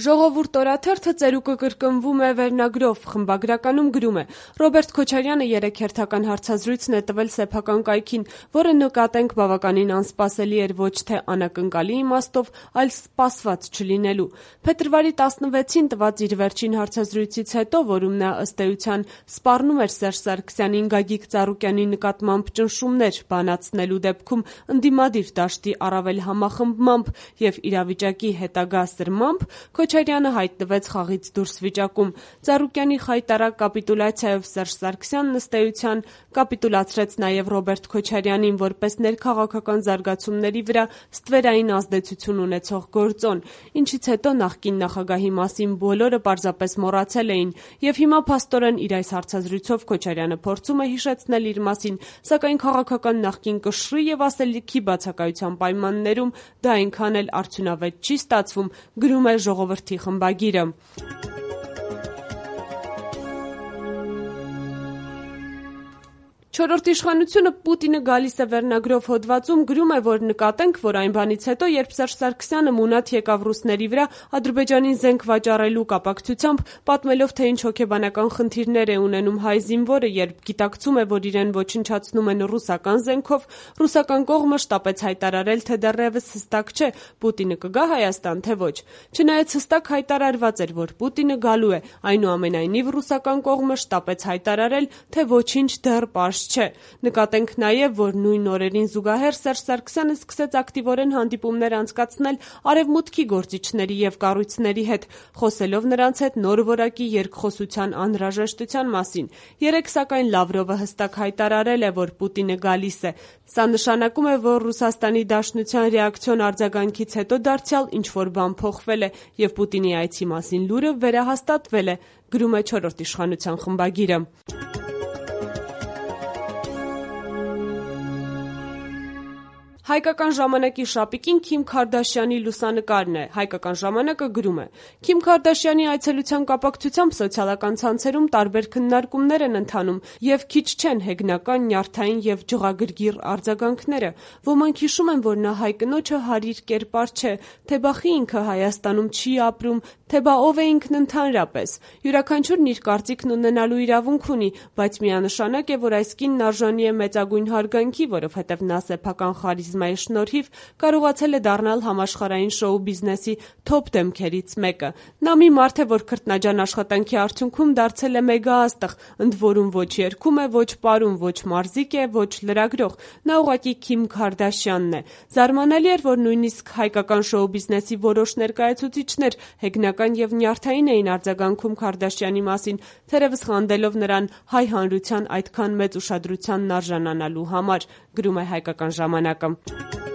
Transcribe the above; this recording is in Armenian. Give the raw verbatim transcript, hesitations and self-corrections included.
Ժողովուրդ օրաթերթը ծերուկը կրկնվում է վերնագրով, խմբագրականում գրում է. Ռոբերտ Քոչարյանը երեկ հերթական հարցազրույցն է տվել սեփական կայքին, որը նկատենք բավականին անսպասելի էր ոչ թե անակնկալի իմաստով, այլ սպասված չլինելու։ Փետրվարի տասնվեցին տված իր վերջին հարցազրույցից հետո, որում նա ըստ էության սպառնում էր Սերժ Սարգսյանին Գագիկ Ծառուկյանի նկատմամբ ճնշումներ բանացնելու դեպքում ընդդիմադիր դաշտի առավել համախմբմամբ և իրավիճակի հետագա սրմամբ, Քոչարյանը հայտնվեց խաղից դուրս վիճակում։ Ծառուկյանի խայտառակ կապիտուլյացիայով Սերժ Սարգսյանն ըստ էության կապիտուլացրեց նաև Ռոբերտ Քոչարյանին որպես ներքաղաքական զարգացումների վրա ստվերային ազդեցություն ունեցող գործոն, ինչից հետո նախկին նախագահի մասին բոլորը պարզապես մոռացել էին, և հիմա փաստորեն իր այս հարցազրույցով Քոչարյանը փորձում է հիշեցնել իր մասին, սակայն քաղաքական նախկին կշռի և ասելիքի բացակայության պայմաններում դա այնքան էլ արդյունավետ չի ստացվում, գրում է Ժողովրդի խմբագիրը։ Չորրորդ իշխանությունը Պուտինը գալիս է վերնագրով հոդվածում գրում է, որ նկատենք, որ այն բանից հետո, երբ Սերժ Սարգսյանը մունատ եկավ ռուսների վրա Ադրբեջանին զենք վաճառելու կապակցությամբ, պատմելով, թե ինչ հոգեբանական խնդիրներ է ունենում հայ զինվորը, երբ գիտակցում է, որ իրեն ոչնչացնում են ռուսական զենքով, ռուսական կողմը շտապեց հայտարարել, թե դեռևս հստակ չէ՝ Պուտինը կգա Հայաստան, թե ոչ։ Չնայած հստակ հայտարարված էր, որ Պուտինը գալու է, այնուամենայնիվ ռուսական կողմը շտապեց հայտարարել, թե ոչինչ դեռ պարզ չէ։ Նկատենք նաև, որ նույն օրերին զուգահեռ Սերժ Սարգսյանը սկսեց ակտիվորեն հանդիպումներ անցկացնել Արևմուտքի գործիչների և կառույցների հետ, խոսելով նրանց հետ նոր որակի երկխոսության անհրաժեշտության մասին։ Երեկ, սակայն, Լավրովը հստակ հայտարարել է, որ Պուտինը գալիս է։ Սա նշանակում է, որ Ռուսաստանի Դաշնության ռեակցիոն արձագանքից հետո դարձյալ ինչ-որ բան փոխվել է, և Պուտինի այցի մասին լուրը վերահաստատվել է, գրում է Չորրորդ իշխանության խմբագիրը։ Հայկական ժամանակի շապիկին Քիմ Քարդաշյանի լուսանկարն է։ Հայկական ժամանակը գրում է. Քիմ Քարդաշյանի այցելության կապակցությամբ սոցիալական ցանցերում տարբեր քննարկումներ են ընթանում և քիչ չեն հեգնական, նյարդային և ջղագրգիռ արձագանքները։ Ոմանք հիշում են, որ նա հայ կնոջը հարիր կերպար չէ, թե բա խի ինքը Հայաստանում չի ապրում, թե բա ով է ինքն ընդհանրապես։ Յուրաքանչյուրն իր կարծիքն ունենալու իրավունք ունի, բայց միանշանակ է, որ այս կինն արժանի է մեծագույն հարգանքի, որովհետև նա սեփական խարիզմայի շնորհիվ կարողացել է դառնալ համաշխարհային շոու բիզնեսի թոփ դեմքերից մեկը։ Նա մի մարդ է, որ քրտնաջան աշխատանքի արդյունքում դարձել է մեգաաստղ, ընդ որում ոչ երգում է, ոչ պարում, ոչ մարզիկ է, ոչ լրագրող։ Նա ուղղակի Քիմ Քարդաշյանն է։ Զարմանալի էր, որ նույնիսկ հայկական շոու բիզնեսի որոշ ներկայացուցիչներ հեգնական և նյարդային էին արձագանքում Քարդաշյանի մասին, թերևս խանդելով նրան հայ հանրության այդքան մեծ ուշադրությանն արժանանալու համար, գրում է Հայկական ժամանակը։